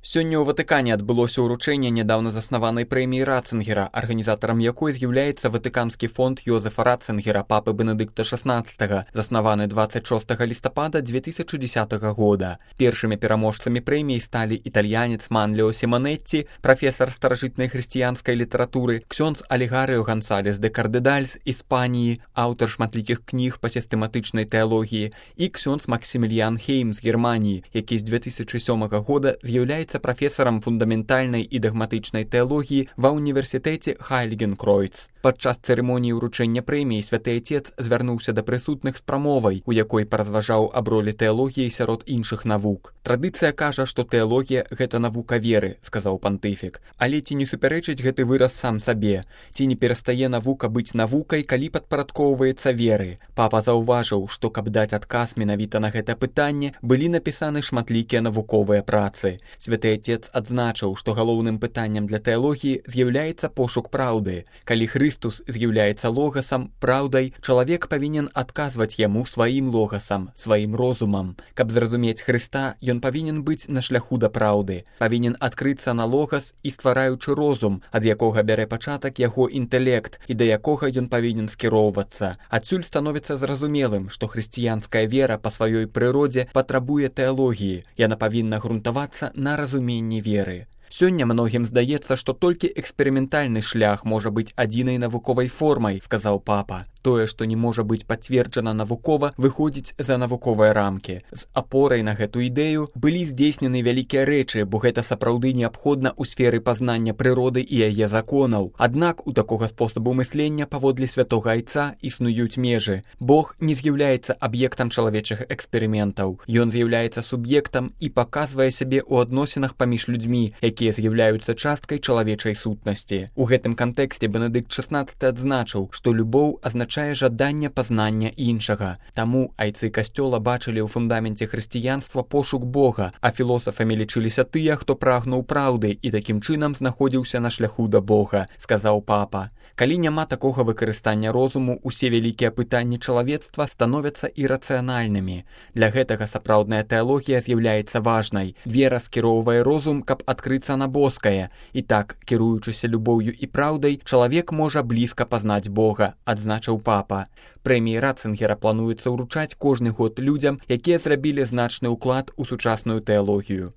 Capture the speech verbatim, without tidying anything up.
Сёння ў Ватыкане адбылося ўручэнне нядаўна заснаванай прэміі Ратцынгера, арганізатарам якой з'яўляецца Ватыканскі фонд Йозефа Ратцынгера, папы Бенедыкта шаснаццатага, заснаваны дваццаць шостага лістапада дзве тысячы дзесятага года. Першымі пераможцамі прэміі сталі італьянец Манліо Сіманетці, прафесар старажытнай хрысціянскай літаратуры, ксёндз Алегарыо Гансалес де Кардедаль з Іспаніі, аўтар шматлікіх кніг па сістэматычнай тэалогіі, і ксёндз Максіміліян Хейм з Германіі, які з дзве тысячы сёмага года з'яўляецца прафесарам фундаментальнай і дагматычнай тэалогіі ва ўніверсітэце Хайльгенкройц. Падчас цырымоніі ўручэння прэміі святы Айцец звярнуўся да прысутных з прамовай, у якой паразважаў аб ролі тэалогіі сярод іншых навук. Традыцыя кажа, што тэалогія – гэта навука веры, сказаў пантыфік. Але ці не супярэчыць гэты выраз сам сабе? Ці не перастае навука быць навукай, калі падпарадкоўваецца веры? Папа заўважыў, што каб даць адказ менавіта на гэта пытанне, былі напісаны шматлікія навуковыя працы. Святы Айцец адзначыў, што галоўным пытаннем для тэалогіі з'яўляецца пошук праўды. Калі Хрыстус з'яўляецца логасам, праўдай, чалавек павінен адказваць яму сваім логасам, сваім розумам. Каб зразумець Хрыста, ён павінен быць на шляху да праўды, павінен адкрыцца на логас і ствараючы розум, ад якога бярэ пачатак яго інтэлект і да якога ён павінен скіроўвацца. Адсюль становіцца зразумелым, што хрысціянская вера па сваёй прыродзе патрабуе тэалогіі. Яна павінна грунтавацца на разуменні веры. Сёння многім здаецца, што толькі эксперыментальны шлях можа быць адзінай навуковай формай, сказаў папа. Тое, што не можа быць пацверджана навукова, выходзіць за навуковыя рамкі. З апорай на гэту ідэю былі здзейснены вялікія рэчы, бо гэта сапраўды неабходна ў сферы пазнання прыроды і яе законаў. Аднак у такога спосабу мыслення паводле святога Айца існуюць межы. Бог не з'яўляецца аб'ектам чалавечых эксперыментаў. Ён з'яўляецца суб'ектам і паказвае сябе ў адносінах паміж людзьмі, якія з'яўляюцца часткай чалавечай сутнасці. У гэтым кантэксце Бенедыкт шаснаццаты адзначыў, што любоў азначае азначае жаданне пазнання іншага. Таму айцы касцёла бачылі ў фундаменце хрысціянства пошук Бога, а філосафамі лічыліся тыя, хто прагнуў праўды і такім чынам знаходзіўся на шляху да Бога, сказаў папа. Калі няма такога выкарыстання розуму, усе вялікія пытанні чалавецтва становяцца ірацыянальнымі. Для гэтага сапраўдная тэалогія з'яўляецца важнай. Вера скіроўвае розум, каб адкрыцца на боскае. І так, кіруючыся любоўю і праўдай, чалавек можа блізка пазнаць Бога, адзначыў папа. Прэміі Ратцынгера плануецца ўручаць кожны год людзям, якія зрабілі значны ўклад у сучасную тэалогію.